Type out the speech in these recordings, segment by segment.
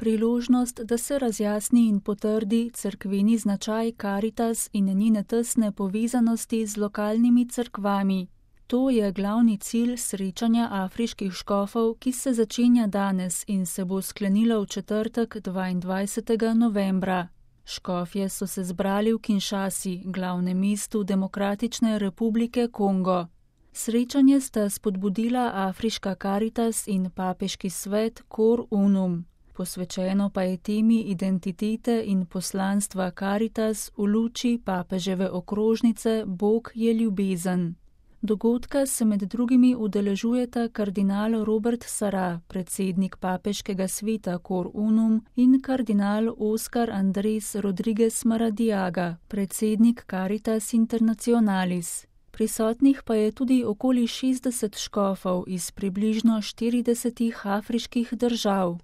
priložnost, da se razjasni in potrdi cerkveni značaj Karitas in njene tesne povezanosti z lokalnimi cerkvami. To je glavni cilj srečanja afriških škofov, ki se začenja danes in se bo sklenilo v četrtek 22. novembra. Škofje so se zbrali v Kinshasi, glavnem mestu Demokratične republike Kongo. Srečanje sta spodbudila Afriška Karitas in papeški svet Cor Unum. Posvečeno pa je temi identitete in poslanstva Karitas v luči papeževe okrožnice Bog je ljubezen. Dogodka se med drugimi udeležujeta kardinal Robert Sarah, predsednik papeškega sveta Cor Unum, in kardinal Oscar Andres Rodriguez Maradiaga, predsednik Caritas Internationalis. Prisotnih pa je tudi okoli 60 škofov iz približno 40 afriških držav.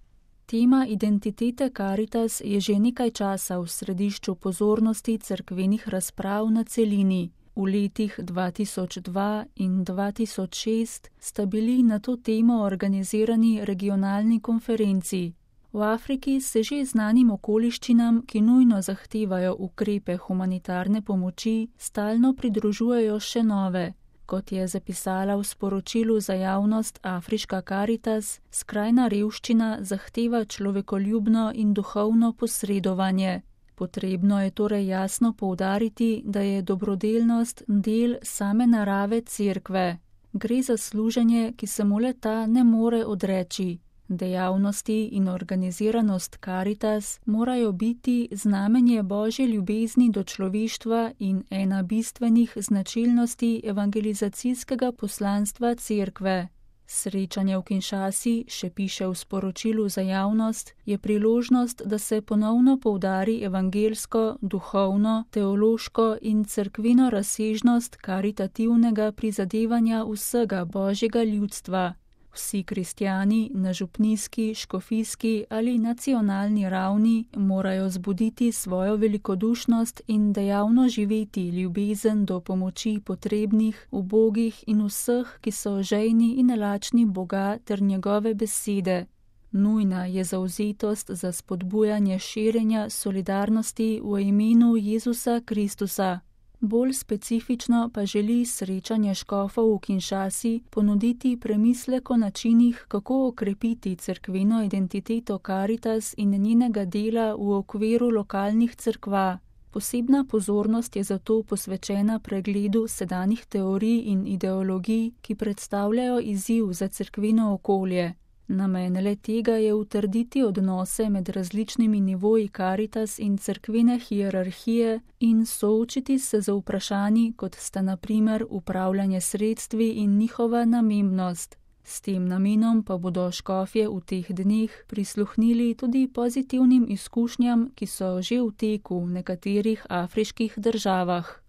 Tema identitete Karitas je že nekaj časa v središču pozornosti cerkvenih razprav na celini. V letih 2002 in 2006 sta bili na to temo organizirani regionalni konferenci. V Afriki se že znanim okoliščinam, ki nujno zahtevajo ukrepe humanitarne pomoči, stalno pridružujejo še nove. Kot je zapisala v sporočilu za javnost Afriška Karitas, skrajna revščina zahteva človekoljubno in duhovno posredovanje. Potrebno je torej jasno poudariti, da je dobrodelnost del same narave cerkve. Gre za služenje, ki se mu le-ta ne more odreči. Dejavnosti in organiziranost Karitas morajo biti znamenje Božje ljubezni do človeštva in ena bistvenih značilnosti evangelizacijskega poslanstva cerkve. Srečanje v Kinshasi, še piše v sporočilu za javnost, je priložnost, da se ponovno poudari evangelsko, duhovno, teološko in cerkveno razsežnost karitativnega prizadevanja vsega Božjega ljudstva. Vsi kristjani na župnijski, škofijski ali nacionalni ravni morajo zbuditi svojo velikodušnost in dejavno živeti ljubezen do pomoči potrebnih, ubogih in vseh, ki so žejni in lačni Boga ter njegove besede. Nujna je zavzetost za spodbujanje širjenja solidarnosti v imenu Jezusa Kristusa. Bolj specifično pa želi srečanje škofov v Kinshasi ponuditi premislek o načinih, kako okrepiti cerkveno identiteto Karitas in njenega dela v okviru lokalnih cerkva. Posebna pozornost je zato posvečena pregledu sedanjih teorij in ideologij, ki predstavljajo izziv za cerkveno okolje. Namen le-tega je utrditi odnose med različnimi nivoji Karitas in cerkvene hierarhije in soočiti se z vprašanji, kot sta na primer upravljanje sredstvi in njihova namembnost. S tem namenom pa bodo škofje v teh dneh prisluhnili tudi pozitivnim izkušnjam, ki so že v teku v nekaterih afriških državah.